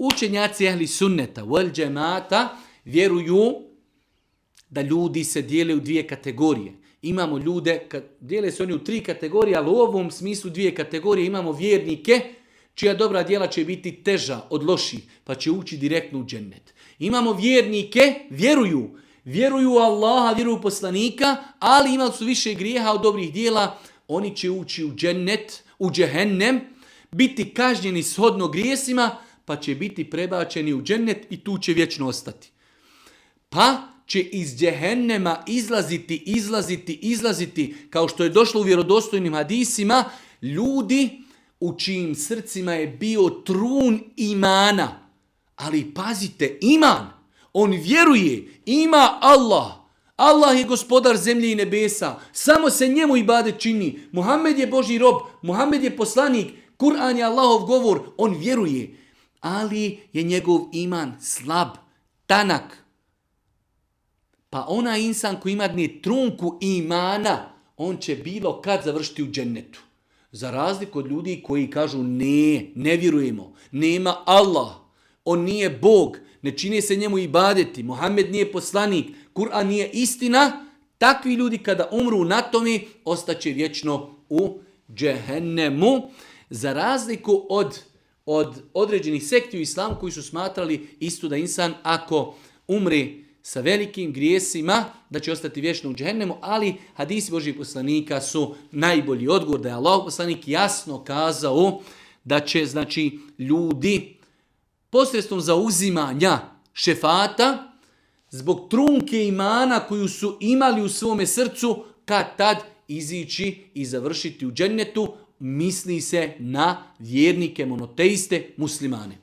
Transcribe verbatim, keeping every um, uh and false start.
Učenjaci ehli sunneta wal džemata vjeruju da ljudi se dijele u dvije kategorije. Imamo ljude, dijele se oni u tri kategorije, ali u ovom smislu dvije kategorije. Imamo vjernike čija dobra djela će biti teža od loših, pa će ući direktno u džennet. Imamo vjernike, vjeruju, vjeruju u Allaha, vjeruju u poslanika, ali imali su više grijeha od dobrih djela, oni će ući u džennet, u džehennem, biti kažnjeni shodno grijesima, pa će biti prebačeni u džennet i tu će vječno ostati. Pa će iz džehennema izlaziti, izlaziti, izlaziti, kao što je došlo u vjerodostojnim hadisima, ljudi u čijim srcima je bio trun imana. Ali pazite, iman, on vjeruje, ima Allah. Allah je gospodar zemlje i nebesa, samo se njemu ibadet čini. Muhammed je Božji rob, Muhammed je poslanik, Kur'an je Allahov govor, on vjeruje. Ali je njegov iman slab, tanak. Pa ona insan koji ima dne trunku imana, on će bilo kad završiti u džennetu. Za razliku od ljudi koji kažu ne, ne vjerujemo, nema Allah, on nije Bog, ne čini se njemu ibadeti, Muhammed nije poslanik, Kur'an nije istina, takvi ljudi kada umru na tome, ostaće vječno u džehennemu. Za razliku od, od određenih sekti u islamu koji su smatrali isto da insan ako umri sa velikim grijesima, da će ostati vječno u džehennemu, ali hadisi Božjih poslanika su najbolji odgovor, da je Allahov poslanik jasno kazao da će, znači, ljudi posredstvom zauzimanja šefata, zbog trunke imana koju su imali u svome srcu, kad tad izići i završiti u džennetu, misli se na vjernike, monoteiste, muslimane.